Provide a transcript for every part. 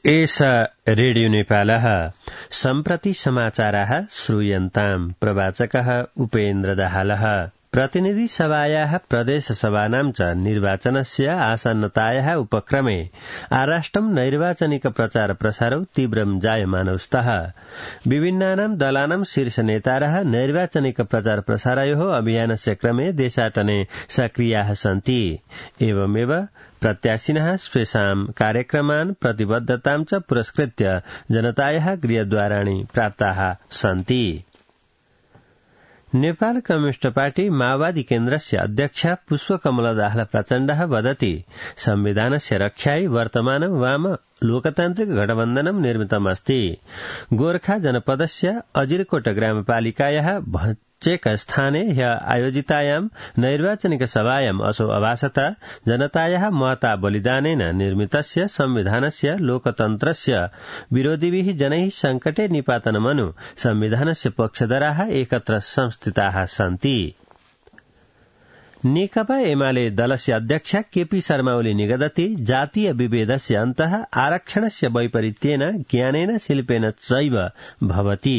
एष रेडियो नेपालः सम्प्रति समाचाराः श्रूयन्ताम्। प्रवाचकः उपेन्द्र दाहालः। प्रतिनिधि सभायाः प्रदेशसभानां च निर्वाचनस्य आसन्नतायाः उपक्रमे आराष्ट्रं नैर्वाचनिक प्रचार प्रसारौ तीव्रं जायमानौ स्तः। विभिन्नानां दलानां शीर्षनेतारः नैर्वाचनिक प्रचार प्रसारयोः अभियानस्य क्रमे देशाटने सक्रियाः सन्ति। एवमेव प्रत्याशिनः स्वेषां कार्यक्रमान् प्रतिबद्धतां च पुरस्कृत्य जनतायाः गृहद्वाराणि प्राप्ताः सन्ति। नेपाल कम्युनिस्ट पार्टी माओवादी केन्द्रस्य अध्यक्ष पुष्पकमल दाहाल प्रचण्डः वदति संविधानस्य रक्षायै वर्तमानं वाम लोकतान्त्रिक गठबन्धनं निर्मितमस्ति। गोर्खा जनपदस्य अजिरकोट ग्रामपालिकायाः भचेक स्थाने ह्य आयोजितायां नैर्वाचनिक सभायां असौ अभासत जनतायाः महता बलिदानेन निर्मितस्य संविधानस्य लोकतन्त्रस्य विरोधिभिः जनैः संकटे निपातनमनु संविधानस्य पक्षधराः एकत्र संस्थिताः सन्ति। नेकपा एमाले दलस्य अध्यक्ष केपी शर्मा ओली निगदति जातीय विभेदस्य अन्तः आरक्षणस्य वैपरीत्येन ज्ञानेन शिल्पेन चैव भवति।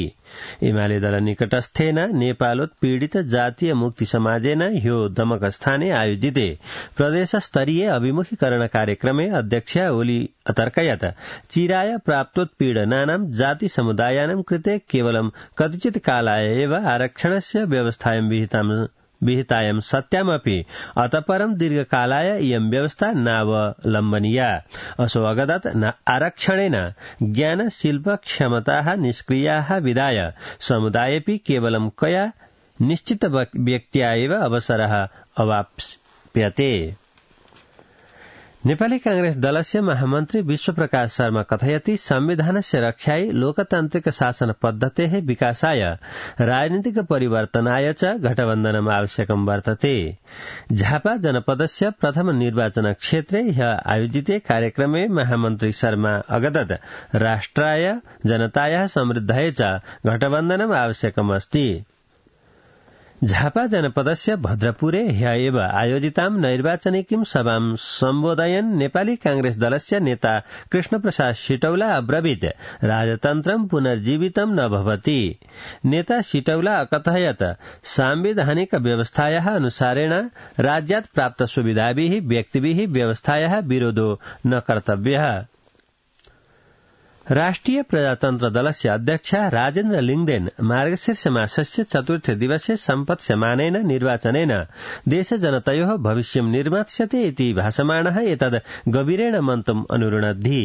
एमाले दल निकटस्थेन नेपालोत्पीडित जातीय मुक्ति समाजेन ह्यो दमकस्थाने आयोजिते प्रदेशस्तरीय अभिमुखीकरण कार्यक्रमे अध्यक्ष ओली अतर्कयत् चिराय प्राप्तोत्पीडनानां जाति समुदायानां कृते केवलं कतिचित् कालाय एव आरक्षणस्य व्यवस्थायां विहितायं सत्यामपि अतःपरं दीर्घकालाय इयं व्यवस्था नावलम्बनीया। असौ अगदत् आरक्षणेन ज्ञान शिल्प क्षमताः निष्क्रियाः विधाय समुदायेऽपि केवलं कया निश्चित व्यक्त्या एव अवसरः अवाप्स्यते। नेपाली कांग्रेस दलस्य महामन्त्री विश्वप्रकाश शर्मा कथयति संविधानस्य रक्षायै लोकतान्त्रिक शासन पद्धतेः विकासाय राजनीतिक परिवर्तनाय च गठबन्धनम् आवश्यकं वर्तते। झापा जनपदस्य प्रथम निर्वाचन क्षेत्रे ह्य आयोजिते कार्यक्रमे महामन्त्री शर्मा अगदत् राष्ट्राय जनतायाः समृद्धाय च गठबन्धनम् आवश्यकमस्ति। झापा जनपदस्य भद्रपुरे ह्य एव आयोजितां नैर्वाचनिकीं सभां सम्बोधयन् नेपाली कांग्रेस दलस्य नेता कृष्णप्रसाद सिटौला अब्रवीत् राजतन्त्रं पुनर्जीवितं न भवति। नेता सिटौला अकथयत् सांविधानिक व्यवस्थायाः अनुसारेण राज्यात् प्राप्त सुविधाभिः व्यक्तिभिः व्यवस्थायाः विरोधो न कर्तव्यः। राष्ट्रिय प्रजातन्त्र दलस्य अध्यक्ष राजेन्द्र लिङदेन मार्गशीर्ष मासस्य चतुर्थ दिवसे सम्पत्स्यमानेन निर्वाचनेन देशजनतयोः भविष्यं निर्मास्यते इति भासमानः एतद् गभीरेण मन्तुम् अनुरुणद्धि।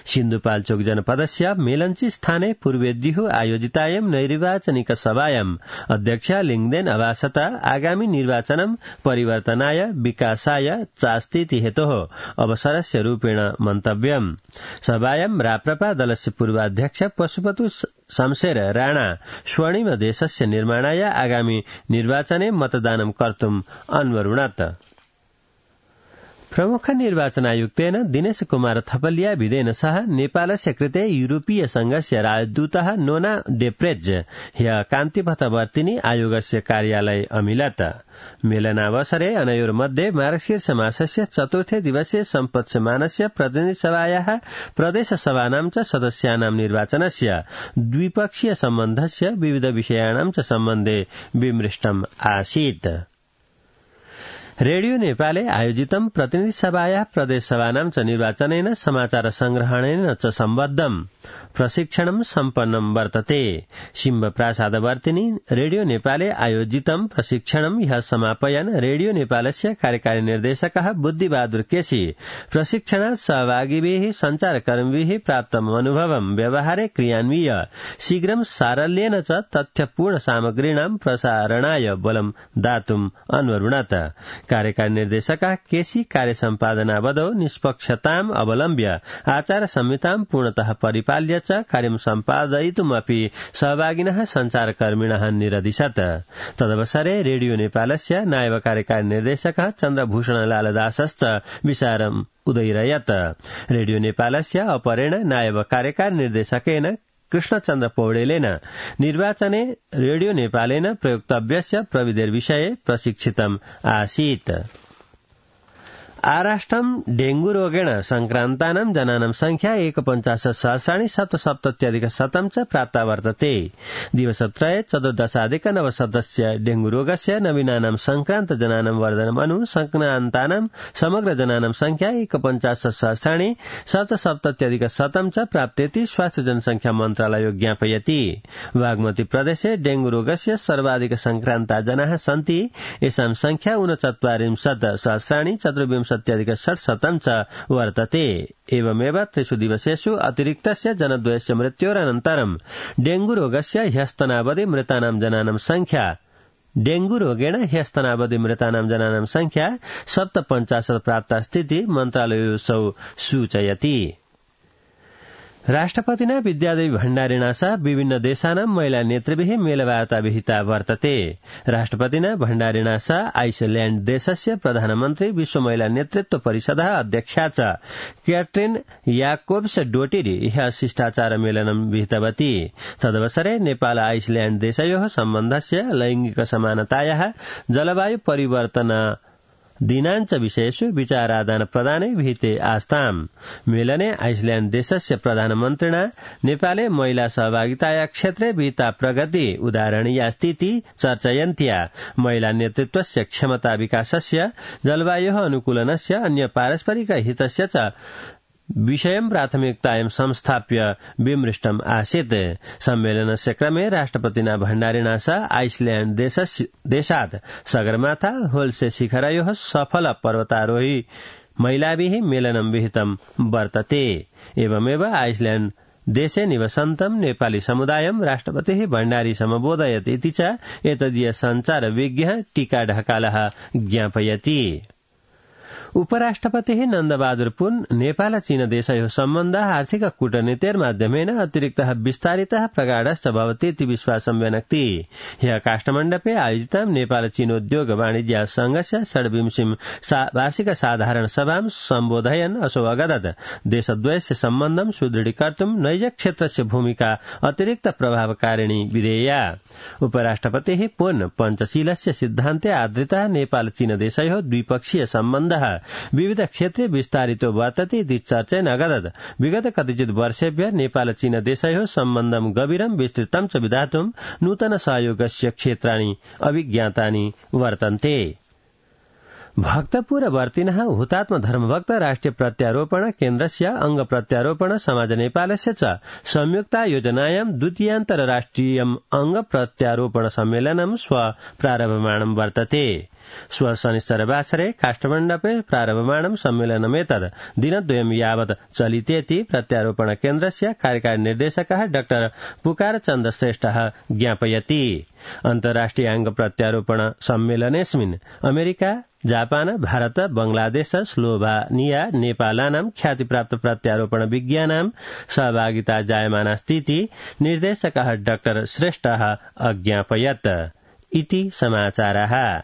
सिन्धुपाल्चोक जनपदस्य मेलन्ची स्थाने पूर्वेद्युः आयोजितायां नैर्वाचनिक सभायाम् अध्यक्ष लिङदेन अभासत आगामि निर्वाचनं परिवर्तनाय विकासाय चास्तीति हेतोः अवसरस्य रूपेण मन्तव्यम्। सभायां राप्रपा दलस्य पूर्वाध्यक्ष पशुपति शमशेर राणा स्वर्णिम देशस्य निर्माणाय आगामि निर्वाचने मतदानं कर्तुम् अन्वरुणत्। प्रमुख निर्वाचन आयुक्तेन दिनेश कुमार थपलिया विदेन सह नेपालस्य कृते यूरोपीय संघस्य राजदूतः नोना डेप्रेज ह्य कान्तिपथवर्तिनी आयोगस्य कार्यालय अमिलत्। मेलनावसरे अनयोर्मध्ये मार्गशीर्ष मासस्य चतुर्थे दिवसे सम्पत्स्यमानस्य प्रतिनिधि सभायाः प्रदेशसभानां च सदस्यानां निर्वाचनस्य द्विपक्षीय सम्बन्धस्य विविध विषयाणां च सम्बन्धे विमृष्टम् आसीत्। रेडियो नेपाले आयोजितं प्रतिनिधि सभायाः प्रदेशसभानां च निर्वाचनेन समाचार संग्रहणेन च सम्बद्धं प्रशिक्षणं सम्पन्नं वर्तते। शिम्ब प्रासादवर्तिनी रेडियो नेपाले आयोजितं प्रशिक्षणं ह्यः समापयन् रेडियो नेपालस्य कार्यकारी निर्देशकः बुद्धिबहादुर केसी प्रशिक्षणात् सहभागिभिः सञ्चारकर्मिभिः प्राप्तम् अनुभवं व्यवहारे क्रियान्विय शीघ्रं सारल्येन च तथ्यपूर्ण सामग्रीणां प्रसारणाय बलं दातुम् अन्वरुणत्। कार्यकारी निर्देशकः केसी कार्यसम्पादनावधौ निष्पक्षताम् अवलम्ब्य आचार संहितां पूर्णतः परिपाल्य च कार्यं सम्पादयितुमपि सहभागिनः सञ्चारकर्मिणः निरदिशत्। तदवसरे रेडियो नेपालस्य नायब कार्यकारी निर्देशकः चन्द्रभूषणलाल दासश्च विचारम् उदयिरयत्। रेडियो नेपालस्य अपरेण नायब कार्यकारी निर्देशकेन कृष्णचन्द्र पौडेलेन निर्वाचने रेडियो नेपालेन प्रयोक्तव्यस्य प्रविधिर्विषये प्रशिक्षितम् आसीत्। आराष्ट्रं डेंगू रोगेण संक्रान्तानां जनानां संख्या 49,777 च प्राप्ता वर्तते। दिवसत्रये 14,900 डेंगू रोगस्य नवीनानां संक्रान्त जनानां वर्धनम् अनु संक्रान्तानां समग्र जनानां संख्या 49,777 च प्राप्तेति स्वास्थ्य जनसंख्या मन्त्रालयो ज्ञापयति। बागमती प्रदेशे डेंगू रोगस्य सर्वाधिक संक्रान्ता जनाः सन्ति। येषां संख्या 49,424,600 च वर्तते। एवमेव 3 दिवसेषु अतिरिक्तस्य जनद्वयस्य मृत्योरनन्तरं डेंगू रोगस्य ह्यस्तनावधि मृतानां जनानां संख्या डेंगू रोगेण ह्यस्तनावधि मृतानां जनानां संख्या 57 प्राप्तास्तीति मन्त्रालयोऽसौ सूचयति। राष्ट्रपतिना विद्यादेवी भण्डारिणा सह विभिन्न देशानां महिला नेतृभिः मेलवार्ता विहिता वर्तते। राष्ट्रपतिना भण्डारिणा सह आइसल्याण्ड देशस्य प्रधानमन्त्री विश्व महिला नेतृत्व परिषदः अध्यक्षा च क्याट्रिन याकोब्स डोटिरी ह्यः शिष्टाचार मेलनं विहितवती। तदवसरे नेपाल आइसल्याण्ड देशयोः सम्बन्धस्य लैंगिक समानतायाः जलवायु परिवर्तन दिनांच विषयेषु विचारादान प्रदाने विहिते आस्ताम्। मेलने आइसल्याण्ड देशस्य प्रधानमन्त्रिणा नेपाले महिला सहभागिताया क्षेत्रे विहिता प्रगति उदाहरणीया स्थिति चर्चयन्त्या महिला नेतृत्वस्य क्षमता विकासस्य जलवायोः अनुकूलनस्य अन्य पारस्परिक हितस्य च विषयं प्राथमिकतायां संस्थाप्य विमृष्टम् आसीत्। सम्मेलनस्य क्रमे राष्ट्रपतिना भण्डारिणा सह आइसल्याण्ड देशात् सगरमाथा होल्से शिखरयोः सफल पर्वतारोही महिलाभिः मेलनं विहितं वर्तते। एवमेव आइसल्याण्ड देशे निवसन्तं नेपाली समुदायं राष्ट्रपतिः भण्डारी समबोधयत् इति च एतदीय सञ्चार विज्ञः टीका ढकालः ज्ञापयति। उपराष्ट्रपतिः नन्दबहादुर पुन नेपाल चीन देशयोः सम्बन्धः आर्थिक कूटनीतेर्माध्यमेन अतिरिक्तः विस्तारितः प्रगाढश्च भवतीति विश्वासं व्यनक्ति। ह्यः काष्ठमण्डपे आयोजितां नेपाल चीनोद्योग वाणिज्य संघस्य 26वीं वार्षिक साधारण सभां सम्बोधयन् असौ अगदत् देशद्वयस्य सम्बन्धं सुदृढीकर्तुं नैजक्षेत्रस्य भूमिका अतिरिक्त प्रभावकारिणी विधेया। उपराष्ट्रपतिः पुन पञ्चशीलस्य सिद्धान्ते आधृतः नेपाल चीन देशयोः द्विपक्षीय सम्बन्धः विविध क्षेत्रे विस्तारितो वर्तते इति चर्चेन अगदत् विगत कतिचित् वर्षेभ्यः नेपाल चीन देशयोः सम्बन्धं गभीरं विस्तृतं च विधातुं नूतन सहयोगस्य क्षेत्राणि अभिज्ञातानि वर्तन्ते। भक्तपुरवर्तिनः हुतात्म धर्मभक्त राष्ट्रिय प्रत्यारोपण केन्द्रस्य अंग प्रत्यारोपण समाज नेपालस्य च संयुक्ता योजनायां द्वितीयान्तरराष्ट्रियम् अंग प्रत्यारोपण सम्मेलनं श्व प्रारभमाणं वर्तते। श्व शनिश्चरवासरे काष्ठमण्डपे प्रारभमाणं सम्मेलनमेतद् दिनद्वयं यावत् चलितेति प्रत्यारोपण केन्द्रस्य कार्यकारी निर्देशकः डॉ पुकारचन्द श्रेष्ठः ज्ञापयति। अन्तर्राष्ट्रियाङ्ग प्रत्यारोपण सम्मेलनेऽस्मिन् अमेरिका, जापान, भारत, बांग्लादेश, स्लोभानिया, नेपालानां ख्यातिप्राप्त प्रत्यारोपण विज्ञानां सहभागिता जायमानास्तीति निर्देशकः डॉ श्रेष्ठः अज्ञापयत्। इति समाचारः।